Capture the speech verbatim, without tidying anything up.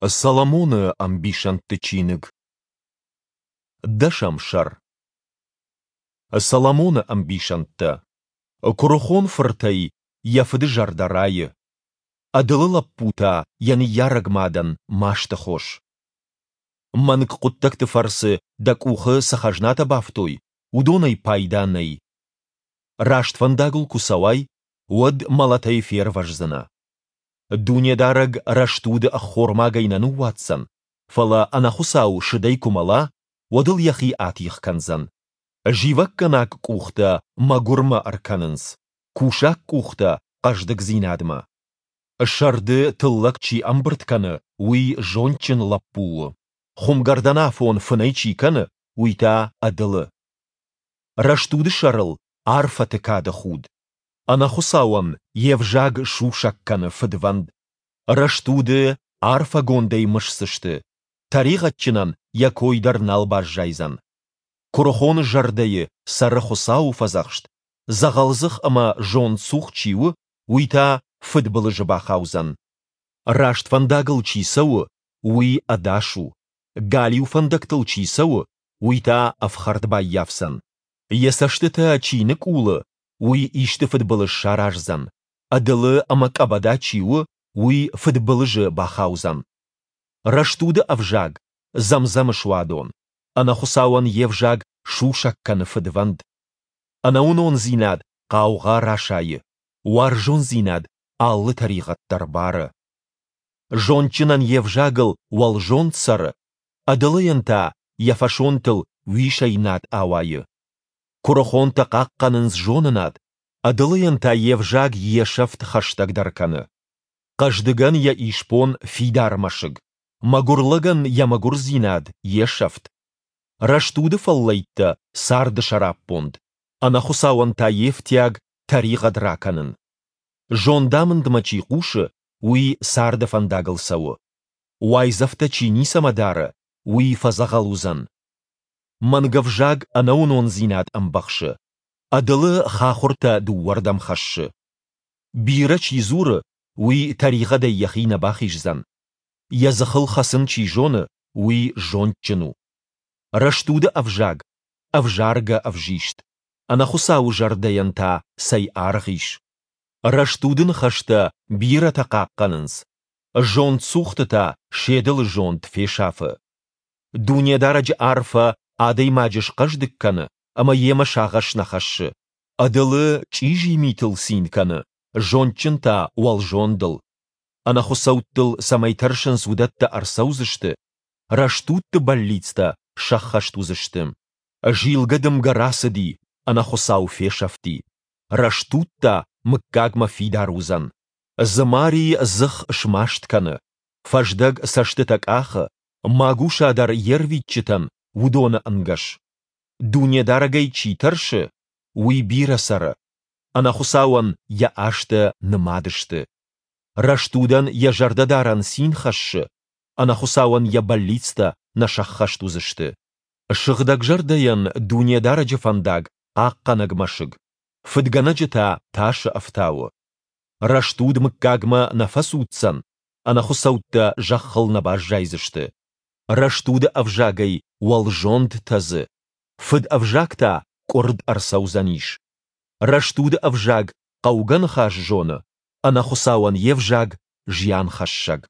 Соломоны ӕмбисӕндты чиныг. Дӕсӕм сӕр. Соломоны ӕмбисӕндтӕ. Куырыхон фыртӕй йӕ фыды зӕрдӕ райы. Ӕдылы лӕппу та йӕ ныййарӕг мадӕн масты хос. Мӕнг хъуыддӕгты фӕрцы дӕ къухы цы хӕзнатӕ бафтой, уыдонӕй пайда нӕй. Раст фӕндагыл куы цӕуай, уӕд мӕлӕтӕй фервӕздзынӕ. Дунедарӕг рӕстуды ӕххормагӕй нӕ ныууадздзӕн, фӕлӕ ӕнӕхуыцау сыдӕй куы мӕла, уӕд ыл йӕхи атигъ кӕндзӕн. Зивӕггӕнаг къухтӕ мӕгуырмӕ ӕркӕнынц, кусаг къухтӕ хъӕздыгдзинадмӕ. Сӕрды тыллӕг чи ӕмбырд кӕны, уый зондджын лӕппу у, хуымгӕрдӕн афон фынӕй чи кӕны, уый та ӕдылы. Рӕстуды сӕрыл арфӕты кады худ. Ӕнӕхуыцауӕн йе взаг сусӕг кӕны фыдвӕнд. Рӕстуды арфӕгондӕй мысдзысты, тӕригъӕдджынӕн йӕ кой дӕр нал баззайдзӕн. Куырыхоны зӕрдӕйы цӕры Хуыцауы фӕдзӕхст, дзӕгъӕлдзых ӕмӕ зондцух чи у, уый та фыдбылызы бахаудзӕн. Раст фӕндагыл чи цӕуы, уый ӕдас у, галиу фӕндӕгтыл чи цӕуы, уый та ӕфхӕрд баййафдзӕн. Йӕ цӕстытӕ чи ныкъулы, уый исты фыдбылыз сараздзӕн, ӕдылы ӕмӕ къӕбӕда чи у, уый фыдбылызы бахаудзӕн. Рӕстуды ӕвзаг дзӕм-дзӕмы суадон, ӕнӕхуыцауӕн йе взаг сусӕг кӕны фыдвӕнд. Ӕнӕуынондзинад хъаугъа расайы, уарзондзинад алы тӕригъӕд дӕр бары. Зондджынӕн йе взагыл уӕлзонд цӕры, ӕдылыйӕн та йӕ фӕсонтыл уисӕй над ауайы. Куырыхонтӕ хъахъхъӕнынц зонынад, ӕдылыйӕн та йе взаг йе сӕфт хӕстӕгдӕр кӕны. Хъӕздыгӕн йӕ исбон фидар мӕсыг, мӕгуыр лӕгӕн йӕ мӕгуырдзинад йе сӕфт. Рӕстуды фӕллӕйттӕ царды сӕраппонд, ӕнӕхуыцауӕн та йе фтиаг тӕригъӕд ракӕнын. Зондамындмӕ чи хъусы, уый царды фӕндагыл цӕуы. Уайдзӕфтӕ чи ницӕмӕ дары, уый фӕдзӕгъӕл уыдзӕн. Мӕнгӕвзаг ӕнӕуынондзинад ӕмбӕхсы, ӕдылы хахуыртӕ дыууӕрдӕм хӕссы. Бирӕ чи дзуры, уый тӕригъӕдӕй йӕхи нӕ бахиздзӕн. Йӕ дзыхыл хӕцын чи зоны, уый зондджын у. Рӕстуды ӕвзаг ӕвзаргӕ ӕвзист, ӕнӕхуыцауы зӕрдӕйӕн та цӕй аргъ ис. Рӕстуды ныхӕстӕ бирӕтӕ хъахъхъӕнынц, зондцухты та се дылы зонд фесафы. Дунедарӕджы арфӕ адӕймаджы схъӕздыг кӕны ӕмӕ йемӕ сагъӕс нӕ хӕссы. Ӕдылы чъизи митыл цин кӕны, зондджын та уӕлзондыл. Ӕнӕхуыцӕуттыл цӕмӕй тӕрсынц, уыдӕттӕ ӕрцӕудзысты, рӕстудты бӕллицтӕ сӕххӕст уыдзысты. Зилгӕ дымгӕ рацыди, ӕнӕхуыцау фесӕфти. Рӕстуд та мыггагмӕ фидар уыдзӕн. Дзымари дзых смаст кӕны, фӕздӕг цӕстытӕ къахы, магуса дӕр йе рвитджытӕн уыдоны ӕнгӕс. Дунедарӕгӕй чи тӕрсы, уый бирӕ цӕры, ӕнӕхуыцауӕн йӕ азтӕ нымад сты. Рӕстудӕн йӕ зӕрдӕдарӕн цин хӕссы, ӕнӕхуыцауӕн йӕ бӕллицтӕ нӕ сӕххӕст уыдзысты. Сыгъдӕгзӕрдӕйӕн Дунедарӕджы фӕндаг хъахъхъӕнӕг мӕсыг, фыдгӕнӕджы та тасы ӕфтауы. Рӕстуд мыггагмӕ нӕ фӕцуддзӕн, ӕнӕхуыцӕуттӕ зӕххыл нӕ баззайдзысты. Рӕстуды ӕвзагӕй уӕлзонд тӕдзы, фыд ӕвзаг та къуырд ӕрцӕудзӕнис. Рӕстуды ӕвзаг хъӕугӕ ныхас зоны, ӕнӕхуыцауӕн йе взаг зианхӕссӕг.